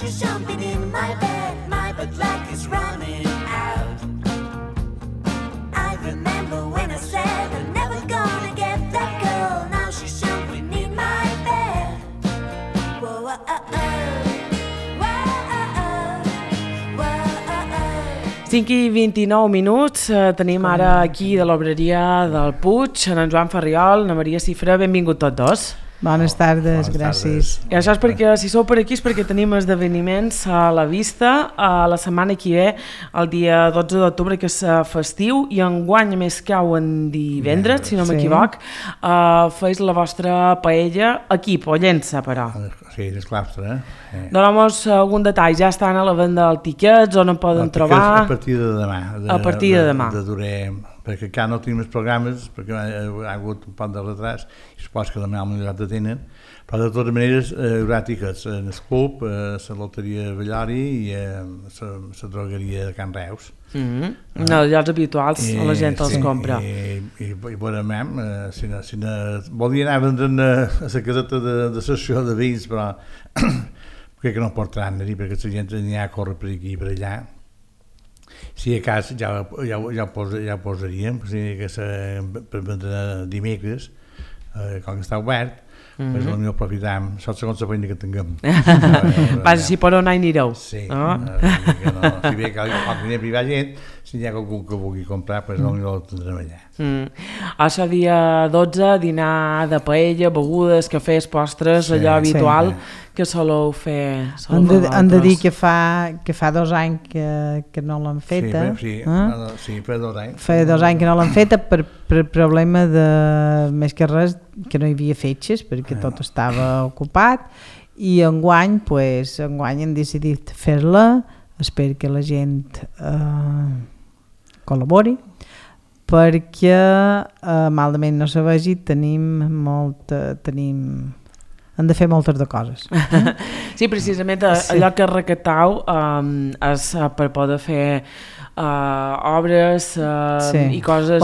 she's jumping in my bed like it's running out. I remember when I said I'm never gonna get that girl. Now she's jumping in my bed. Whoa, whoa, oh, oh. 5 i 29 minuts, tenim ara aquí de l'obreria del Puig, en Joan Ferriol, na Maria Cifra, benvingut tots dos. Bones tardes, gràcies. I això és perquè, si sou per aquí, és perquè tenim esdeveniments a la vista la setmana que ve, el dia 12 d'octubre, que és festiu, i enguany, a més cau en divendres, si no m'equivoc, feis la vostra paella aquí, Pollença, però. Sí, és claustre, Dona'm-nos algun detall, ja estan a la venda dels tiquets, on en poden trobar? A partir de demà. A partir de demà. Perquè encara no tenim els programes, perquè ha hagut un poc de retras, i supos que demà el millor de tenen, però de totes maneres hi haurà tiquets en el club, la loteria Bellari i la drogueria de Can Reus. No, llocs habituals, la gent els compra. I veurem, si volia anar a vendre a la caseta de sessió de veïns, però crec que no portaran a dir, perquè la gent n'hi ha a córrer per aquí i per allà. Si a cas ja ho posaríem, per vendre dimecres, com que està obert, doncs potser aprofitem, això segons la feina que tinguem. Vas, si per on anireu? Sí, si ve que hi privar gent, si hi ha algú que vulgui comprar, doncs potser el tindrem allà. Això dia 12, dinar de paella, begudes, cafès, postres, allò habitual que soleu fer. Han de dir que fa 2 anys que no l'han feta. Sí, fa 2 anys. Fa 2 anys que no l'han feta per problema de, més que res, que no hi havia fetges, perquè tot estava ocupat, i enguany han decidit fer-la. Espero que la gent col·labori, perquè malament no se vegi, hem de fer moltes de coses. Sí, precisament allò que recatau és per poder fer obres i coses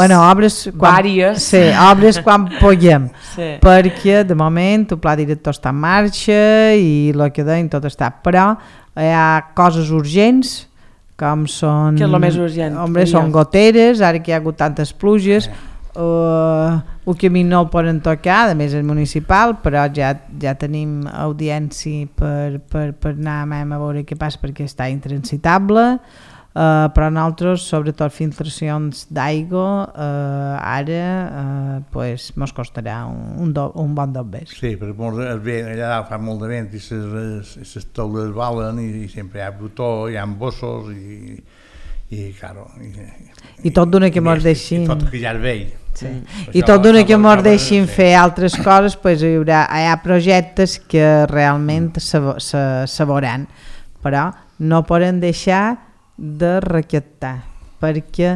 vàries. Sí, obres quan puguem, perquè de moment el pla director està en marxa i el que deim tot està, però hi ha coses urgents, com són... Què és el més urgent? Són goteres, ara que hi ha hagut tantes pluges, el camí no el poden tocar, a més és municipal, però ja tenim audiència per anar a veure què passa, perquè està intransitable, però nosaltres, sobretot filtracions d'aigua, ara mos costarà un bon dobbers. Sí, perquè allà fa molt de vent i les taules valen i sempre hi ha brutó, hi ha bossos i claro... I tot d'una que mos deixin... I tot que ja és vell. I tot d'una que mos deixin fer altres coses, hi ha projectes que realment se veuran, però no poden deixar de recaptar, perquè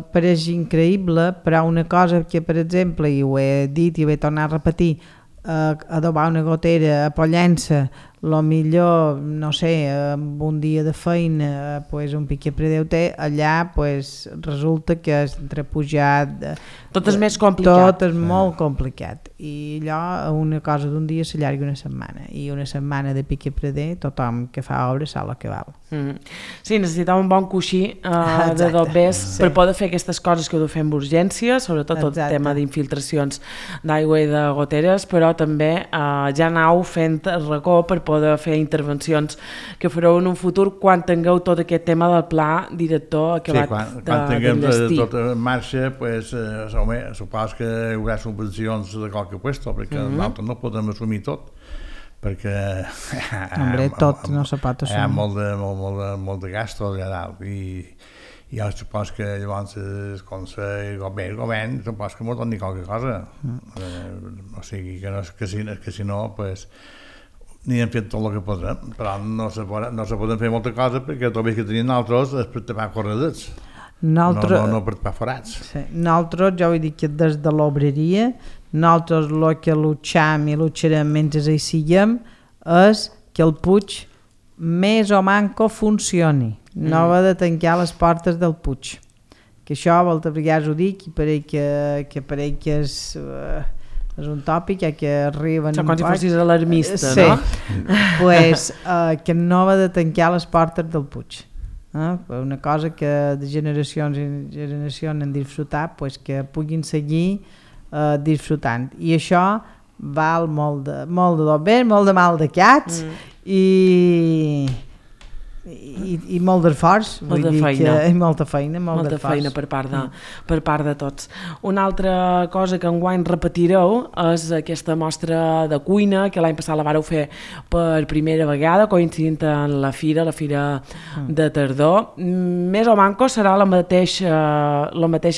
pareix increïble, però una cosa que, per exemple, i ho he dit i ho he tornat a repetir, adobar una gotera a Pollença, millor, no sé, amb un dia de feina, un piquet predeu té, allà resulta que entre pujar... Tot és més complicat. Tot és molt complicat. I allò, una cosa d'un dia s'allarga una setmana. I una setmana de piquet predeu, tothom que fa obres sap el que val. Sí, necessitava un bon coixí de dobbers per poder fer aquestes coses que ho fem d'urgència, sobretot el tema d'infiltracions d'aigua i de goteres, però també ja anau fent racó per poder fer intervencions que fareu en un futur quan tingueu tot aquest tema del pla director acabat d'enllestir. Quan tinguem tot en marxa, supos que hi haurà subvencions de qualque puesto, perquè nosaltres no podem assumir tot, perquè tot no se pot assumir. Hi ha molt de gastos allà dalt i jo supos que llavors el Consell, el govern, supos que m'ho doni qualque cosa. O sigui, que si no, ni hem fet tot el que podrem, però no se poden fer molta cosa perquè tot el que tenim nosaltres és per tapar corredets, no per tapar forats. Nosaltres, jo vull dir que des de l'obreria, nosaltres el que lucham i lucharem mentre hi siguem és que el Puig més o manco funcioni, no va de tancar les portes del Puig, que això moltes vegades ho dic i pareix que és és un tòpic que arriben... Com si fossis alarmista, sí. no? Pues, que no va de tancar les portes del Puig. Una cosa que de generacions en generacions han disfrutat, pues, que puguin seguir disfrutant. I això val molt de bé, molt de mal de cats i molt d'esforç, molta feina. Molta feina per part de tots. Una altra cosa que enguany repetireu és aquesta mostra de cuina que l'any passat la vareu fer per primera vegada, coincidint en la fira de tardor. Més o manco serà la mateixa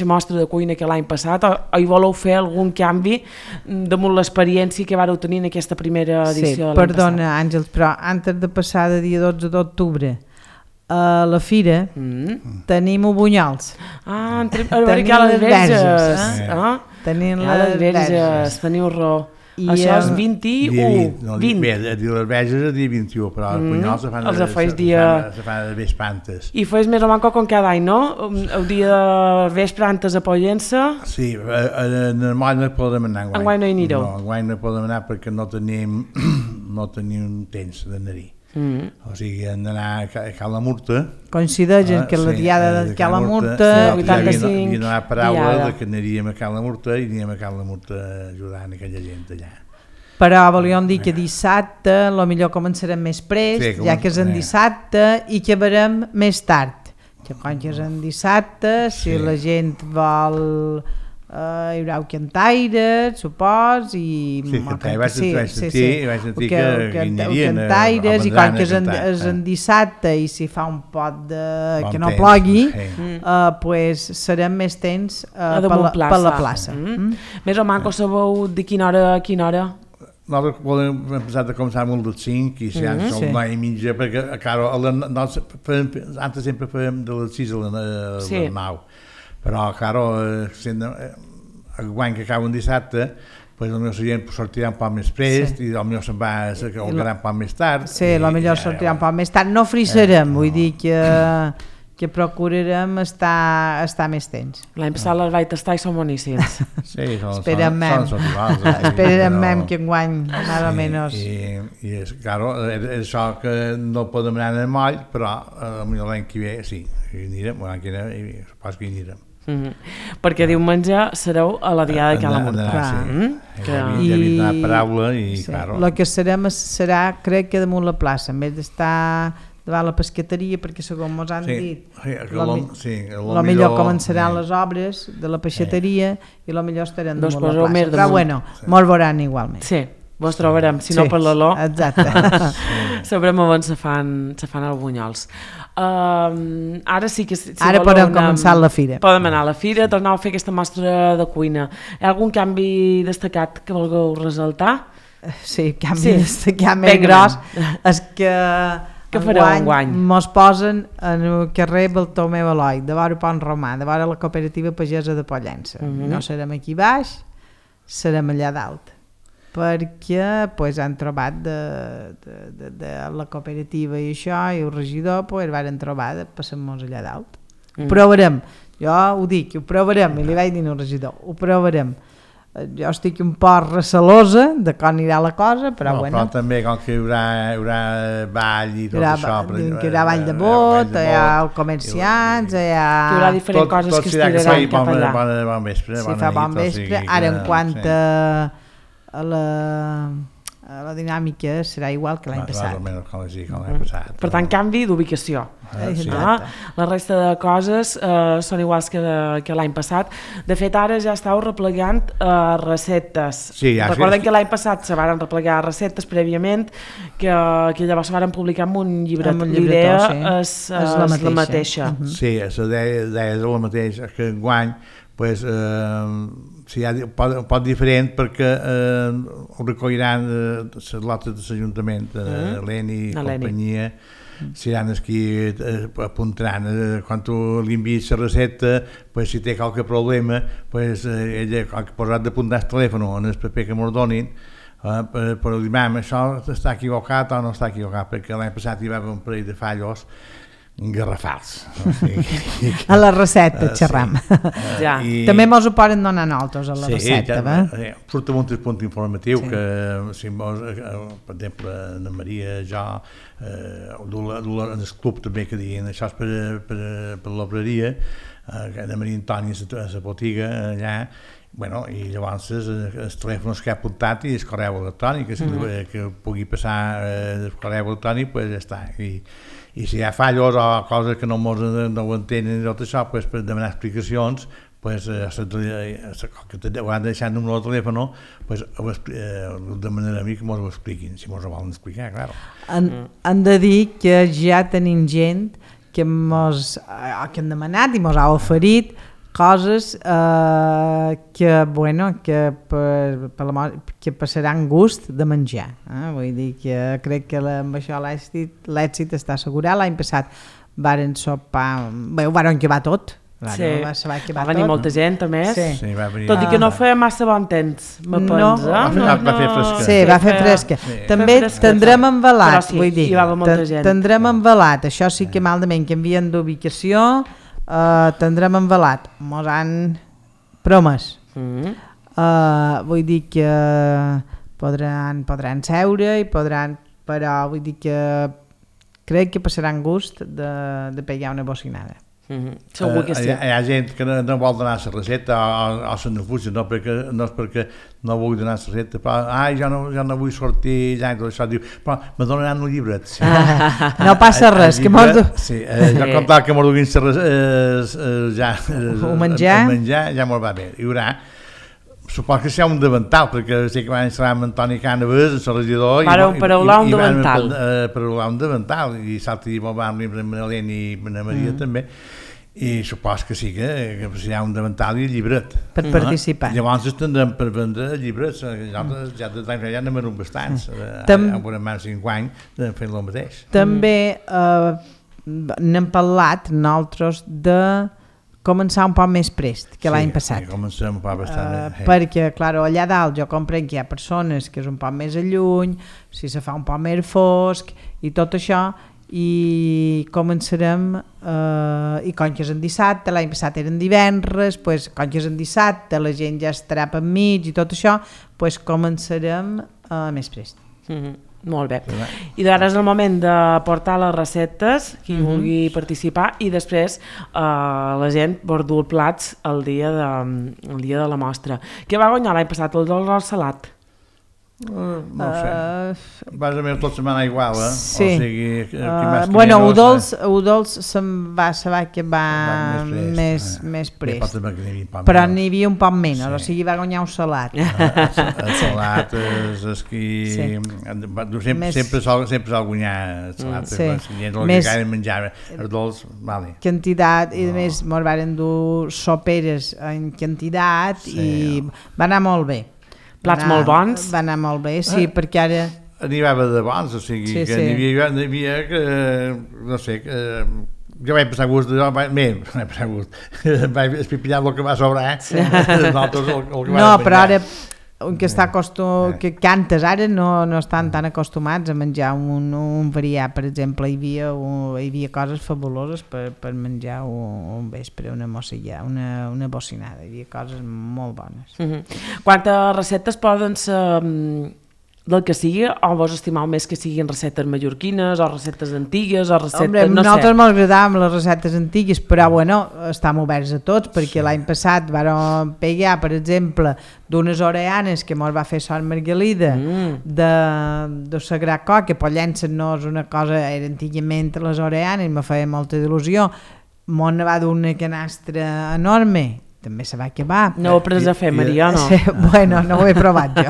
mostra de cuina que l'any passat, o hi voleu fer algun canvi damunt l'experiència que vareu tenir en aquesta primera edició de l'any passat? Perdona, Àngels, però antes de passar de dia 12 d'octubre a la fira tenim Bunyols. A veure que hi ha les verges. Tenim les verges, teniu raó. Això és 21. Bé, les verges és el dia 21, però els Bunyols se fan de vespantes. I fes més o manco com cada any, no? El dia de vespantes a Pollença. Sí, normal no podem anar enguany. Enguany no hi anireu. No, enguany no podem anar perquè no tenim temps d'anar-hi. O sigui, hem d'anar a Cala Murta. Coincideixen que la diada de Cala Murta... 85 hi havia una paraula que aniríem a Cala Murta i aniríem a Cala Murta ajudant aquella gent allà. Però volíem dir que dissabte potser començarem més prest, ja que és en dissabte, i que verem més tard. Que quan és en dissabte, si la gent vol... hi haurà cantaires, supos, i... Sí, vaig sentir que anirien cantaires, i quan és en dissabte i si fa un pot que no plogui, pues serem més temps per la plaça. Més o manco sabeu de quina hora a quina hora? Nosaltres volem empezar a començar molt dels 5 i si són 9 i mitja, perquè antes sempre fèiem de les 6 a les 9. Però, claro, enguany que acaba un dissabte, pues potser la gent sortirà un poc més prest i potser se'n va un poc més tard. Sí, potser sortirà un poc més tard. No frisarem, vull dir que procurarem estar més temps. L'any passat les vaig tastar i són boníssims. Sí, esperem que enguany més o menys. I claro, és això que no podem anar en el moll, però potser l'any que ve sí, hi anirem, l'any que ve supos que hi anirem. Perquè diumenge sereu a la diada de Cala Murta. Ja havia donat paraula i claro. El que serà, crec que damunt la plaça, en vez d'estar davant la pesqueteria, perquè segons ens han dit, millor començaran les obres de la peixateria i millor estarem damunt la plaça. Però bueno, mos veuran igualment. Sí, vos trobarem, si no per l'olor. Exacte. Sabrem on se fan els bunyols. Ara sí que... Ara podem començar la fira. Podem anar a la fira, tornar a fer aquesta mostra de cuina. Hi ha algun canvi destacat que vulgueu ressaltar? Sí, canvi destacat més gros és que enguany mos posen en el carrer Bartomeu Eloi, de vora Pont Romà, de vora la cooperativa pagesa de Pollença. No serem aquí baix, serem allà dalt, perquè han trobat de la cooperativa i això, i el regidor varen trobar de passar-nos allà dalt. Ho provarem, jo ho dic, ho provarem, i li vaig dir al regidor, ho provarem. Jo estic un poc recelosa de com anirà la cosa, però bueno. Però també com que hi haurà ball i tot això. Que hi haurà ball de bot, hi ha comerciants, hi haurà diferents coses que es tiraran cap allà. Bon vespre. Si fa bon vespre, ara en quant a la dinàmica serà igual que l'any passat. Per tant, canvi d'ubicació. La resta de coses són iguals que l'any passat. De fet, ara ja estàu replegant receptes. Recordem que l'any passat se varen replegar receptes prèviament, que llavors se varen publicar en un llibret. L'idea és la mateixa. Sí, la idea és la mateixa, que enguany pot diferent perquè ho recolliran les lotes de l'Ajuntament, l'ENI i companyia, seran els que apuntaran. Quan tu li envies la recepta, si té qualque problema, ella ha posat d'apuntar el telèfon en el paper que ens donin, per dir, això està equivocat o no està equivocat, perquè l'any passat hi va haver un parell de fallos garrafals. O sigui, a la recepta, xerram. Ja. També mos ho poden donar nosaltres a la recepta, surt un punt informatiu que, si mos, per exemple, Anna Maria, jo, en el club també que diuen això és per l'obreria, Anna Maria Antònia a la botiga allà, bueno, i llavors els telèfons que ha apuntat i el correu electrònic, que pugui passar el correu electrònic, doncs ja està. I si hi ha fallos o coses que no ho entenen i tot això, pues, per demanar explicacions, pues, que ho han deixat el número de telèfon, pues, demanarem que ens ho expliquin, si ens ho volen explicar, clar. Han de dir que ja tenim gent que han demanat i ens ha oferit coses que passaran gust de menjar. Vull dir que crec que amb això l'èxit està assegurat. L'any passat varen sopar, ho varen llevar tot. Va venir molta gent, a més. Tot i que no feia massa bon temps, me pensa. Va fer fresca. Sí, va fer fresca. També tindrem envelat, vull dir, tindrem envelat. Això sí que malament canvien d'ubicació, tindrem envelat. Mos han promès. Vull dir que podran seure i podran, però vull dir que crec que passaran gust de pegar una bocinada. Segur que sí. Hi ha gent que no vol donar la recepta o se n'afuja, no és perquè no vull donar la recepta, però jo no vull sortir allà i tot això, diu, però me donaran un llibret. Sí. No passa res, que mos... Sí, jo comptava que mos duguin el menjar, ja mos va bé. Hi haurà, supos que sigui un davantal, perquè sé que van instal·lar amb Antoni Cànovas, el regidor, paraular un davantal. Paraular un davantal, i salta i molt van amb l'Helena i la Maria també, i supos que sí que hi ha un davantal i llibret. Per participar. Llavors tindrem per vendre llibrets, ja de temps ja n'hem venut bastants, amb una mà 5 anys fent el mateix. També n'hem parlat nosaltres de començar un poc més prest que l'any passat. Sí, comencem un poc bastant. Perquè, clar, allà dalt jo comprenc que hi ha persones que és un poc més a lluny, si se fa un poc més fosc i tot això, i començarem, i com que és en dissabte, l'any passat eren divendres, pues, com que és en dissabte, la gent ja estarà per mig i tot això, pues, començarem més prest. Molt bé. I d'ara és el moment de portar les receptes, qui vulgui participar, i després la gent vol dur plats el dia de la mostra. Què va guanyar l'any passat? El dolç al salat? No ho sé. Vas a veure tota setmana igual, Sí. O sigui, bueno, Udols se'n va saber que va més prest. Però n'hi havia un poc menys, o sigui, va guanyar un salat. El salat és qui... Sempre sol guanyar el salat. El que menjava, els dolç, vale. Quantitat, i a més mos varen dur soperes en quantitat i va anar molt bé. Plats molt bons? Va anar molt bé, sí, perquè ara... N'hi va de bons, o sigui, que n'hi havia que, no sé, jo vaig passar gust, vaig espipillar el que va sobrar, No, però ara, que cantes ara no estan tan acostumats a menjar un variat, per exemple, hi havia coses fabuloses per menjar un vespre, una mossilla, una bocinada, hi havia coses molt bones. Quantes receptes poden ser del que sigui, o vos estimeu més que siguin receptes mallorquines o receptes antigues o receptes, no sé? Nosaltres ens agradàvem les receptes antigues, però bueno, estem oberts a tots, perquè l'any passat vam pegar, per exemple, d'unes oreanes que mos va fer Sor Margalida de Sagrat Cor, que pollença no és una cosa, era antigament les oreanes, me feia molta il·lusió, mos ne va d'una canastra enorme, també se va acabar. No ho he pres a fer, Maria, no? Bueno, no ho he provat jo.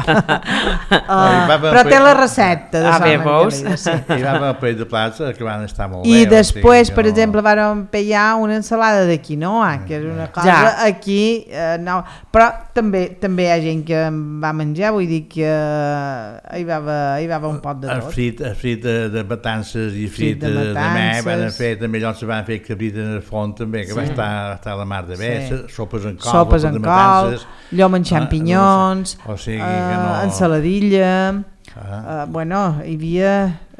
Però té la recepta de Sant Margalida. I vam a paell de plats que van estar molt bé. I després, per exemple, vam pegar una ensalada de quinoa, que és una cosa aquí... Però també hi ha gent que va menjar, vull dir que hi va un pot de tot. El frit de matances i frit de mè, van fer també, llavors se van fer cabrit en el font també, que va estar a la mar de bé, sopes en col, llom amb xampinyons, o sigui que no... ensaladilla, bueno, hi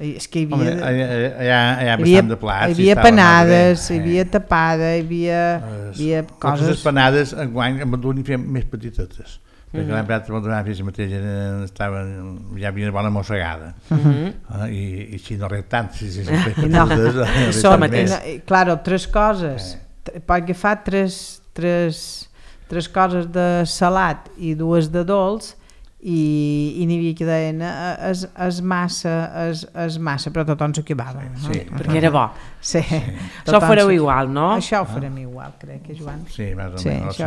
És que hi Home, havia... hi ha bastant de plats. Hi havia panades, hi havia tapada, hi havia coses... Les panades enguany amb un fem més petitetes. Perquè l'any passat la festa mateix ja havia una bona mossegada. I si no rep tant, si són petitetes... Claro, 3 coses. Pot agafar 3 coses de salat i 2 de dolç i n'hi havia que deien és massa, però tothom s'ho acabava. Sí, perquè era bo. Sí. Això ho fareu igual, no? Això ho farem igual, crec, Joan. Sí, més o menys.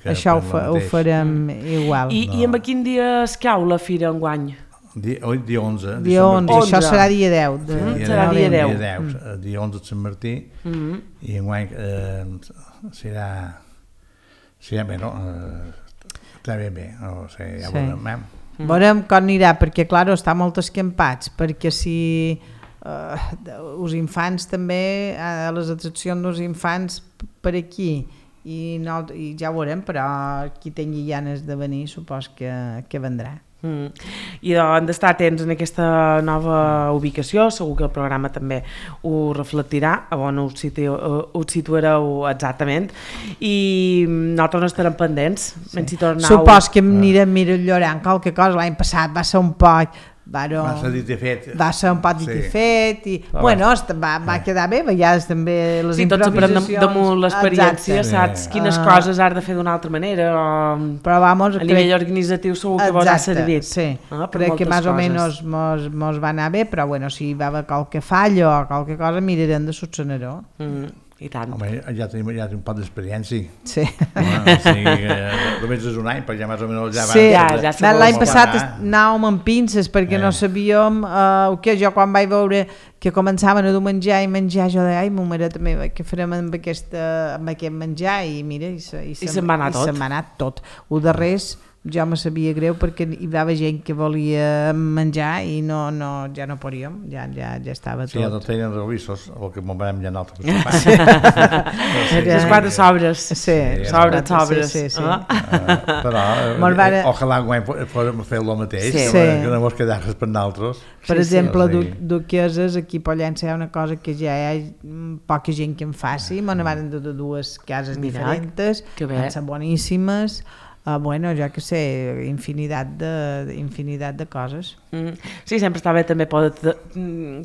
Això ho farem igual. I amb quin dia es cau la fira enguany? Dia 11. Dia 11, això serà dia 10. Serà dia 10. Dia 11 de Sant Martí i enguany serà bé, no? Està bé, o sigui, ja veurem. Veurem com anirà, perquè, clar, està molt escampats, perquè si els infants també, a les atraccions dels infants per aquí, i ja ho veurem, però qui tingui ganes de venir, supos que vendrà. I han d'estar atents en aquesta nova ubicació, segur que el programa també ho reflectirà, a on us situareu exactament, i nosaltres no estarem pendents. Supos que anirem millorant qualque cosa. L'any passat va ser un poc va ser un pot dit i fet i bueno, va quedar bé, a vegades també les improvisacions. Sí, tots damunt l'experiència, saps quines coses has de fer d'una altra manera, però vamos, a nivell organitzatiu segur que vos ha servit. Sí, crec que més o menys mos va anar bé, però bueno, si va haver qualque fallo o qualque cosa mirarem de solucionar-ho. I tant. Home, ja tenim un pot d'experiència. Sí. Només és un any, perquè ja més o menys ja va... Sí, l'any passat anàvem amb pinces perquè no sabíem jo quan vaig veure que començaven a dur menjar i menjar, jo deia, ai, ma mare també, què farem amb aquest menjar? I mira, i se'n va anar tot. El darrers jo me sabia greu perquè hi va haver gent que volia menjar i ja no podíem, ja estava tot. Sí, ja no tenien revissos, el que m'ho vam ja anar altre les 4 sobres. Sí, sobres. Però ojalà podem fer el mateix, que no mos quedar-nos per nosaltres. Per exemple, duqueses, aquí a Pollença hi ha una cosa que ja hi ha poca gent que en faci, me n'han de 2 cases diferents, que són boníssimes. Bueno, jo que sé, infinitat de coses. Sí, sempre està bé també poder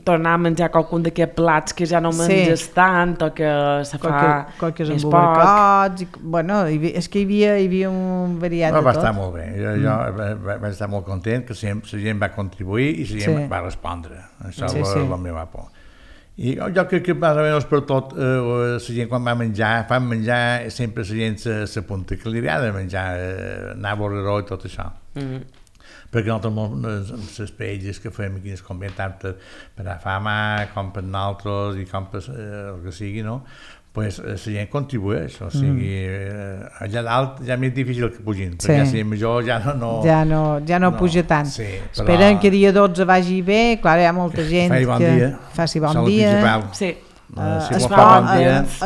tornar a menjar qualcun d'aquests plats que ja no menges tant o que se fa més poc. Bueno, és que hi havia un variat de tot. Va estar molt bé, jo vaig estar molt content que la gent va contribuir i la gent va respondre. Això és la meva por. I jo crec que més o menys per tot la gent quan va menjar, sempre la gent s'apunta que li agrada menjar, anar a Borreró i tot això. Perquè nosaltres les paelles que fem aquí es convé tant per a fama com per nosaltres i com per el que sigui, no? Pues la gent contribueix, o sigui, allà dalt ja és més difícil que pugin, perquè si major ja no puja tant. Esperem que dia 12 vagi bé, clar, hi ha molta gent que faci bon dia.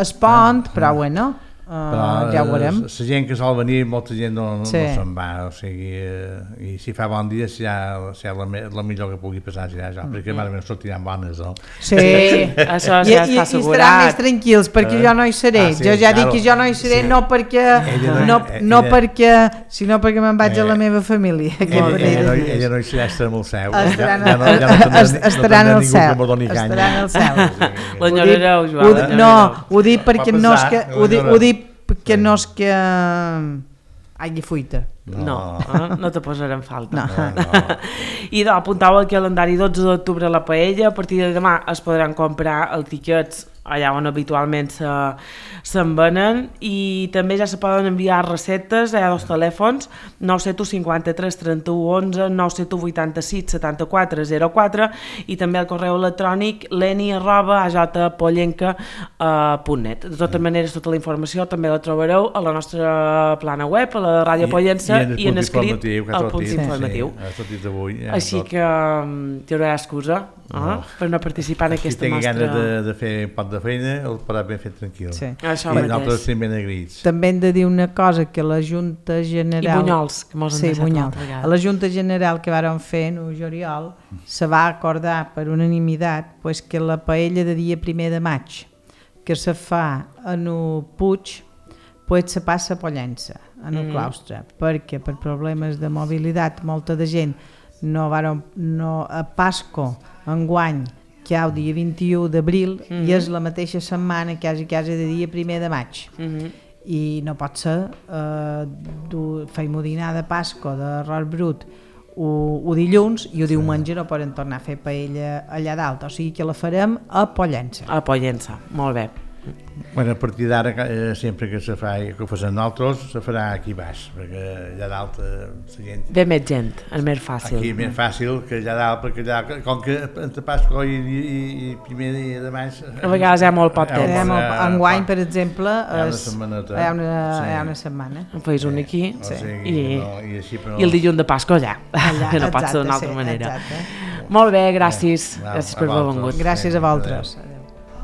Es pont, però bueno, ja ho veurem. La gent que sol venir, molta gent no se'n va, o sigui, i si fa bon dia serà la millor que pugui passar serà això, perquè més o menys sortiran bones, no? Sí, això ja està assegurat. I estaran més tranquils, perquè jo no hi seré. Jo ja dic que jo no hi seré, no perquè sinó perquè me'n vaig a la meva família. Ella no hi serà, estarà amb el cel. Estaran al cel. Estaran al cel. L'enyorareu, Joan. No, ho dic perquè no és que hagi fuita. No te posarem falta. I apuntau al calendari 12 d'octubre a la Paella. A partir de demà es podran comprar els tiquets allà on habitualment se'n venen, i també ja se poden enviar receptes. Hi ha 2 telèfons, 971 53 31 11, 971 86 74 04, i també el correu electrònic leni@ajpollenca.net. De totes maneres, tota la informació també la trobareu a la nostra plana web, a la Ràdio Pollença, xarxa i en escrit al punt informatiu. Així que hi haurà excusa per no participar en aquesta mostra. Si tingui ganes de fer un pot de feina, el podrà ben fet tranquil. Nosaltres estem ben agraïts. També hem de dir una cosa, que la Junta General... I Bunyols, que mos han deixat l'altra vegada. A la Junta General que vàrem fer en juliol se va acordar per unanimitat que la paella de dia 1 de maig que se fa en el Puig se passa a Pollença, en el claustre, perquè per problemes de mobilitat molta de gent a Pasco enguany que hi ha el dia 21 d'abril i és la mateixa setmana quasi de dia 1 de maig. I no pot ser feim dinar de Pasco d'arròs brut o dilluns i el diumenge no poden tornar a fer paella allà dalt, o sigui que la farem a Pollença. A Pollença, molt bé. Bueno, a partir d'ara, sempre que se fa, que ho fem nosaltres, se farà aquí baix, perquè allà dalt la gent... Ve més gent, és més fàcil. Aquí és més fàcil que allà dalt, perquè allà, com que entre Pasco i 1 de maig... A vegades hi ha molt poc temps. Enguany, per exemple, hi ha una setmana. En feis un aquí i el dilluns de Pasco allà, que no pot ser d'una altra manera. Molt bé, gràcies per haver vingut. Gràcies a vosaltres.